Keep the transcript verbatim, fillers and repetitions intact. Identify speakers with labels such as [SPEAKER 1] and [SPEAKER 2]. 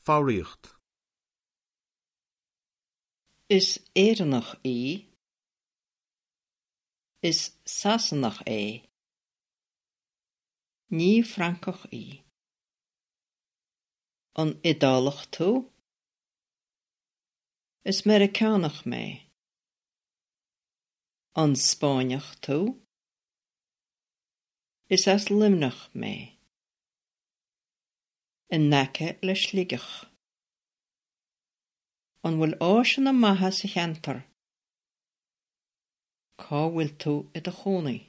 [SPEAKER 1] Foghraíocht.
[SPEAKER 2] Is Éireannach í. Is Sasanach é. Ní Francach í. An Iodálach tú? Is Meiriceánach mé. An Spáinneach tú? Is as Luimneach mé. In aice le Sligeach. An bhfuil áiseanna maithe sa cheantar? Cá bhfuil tú i do chónaí?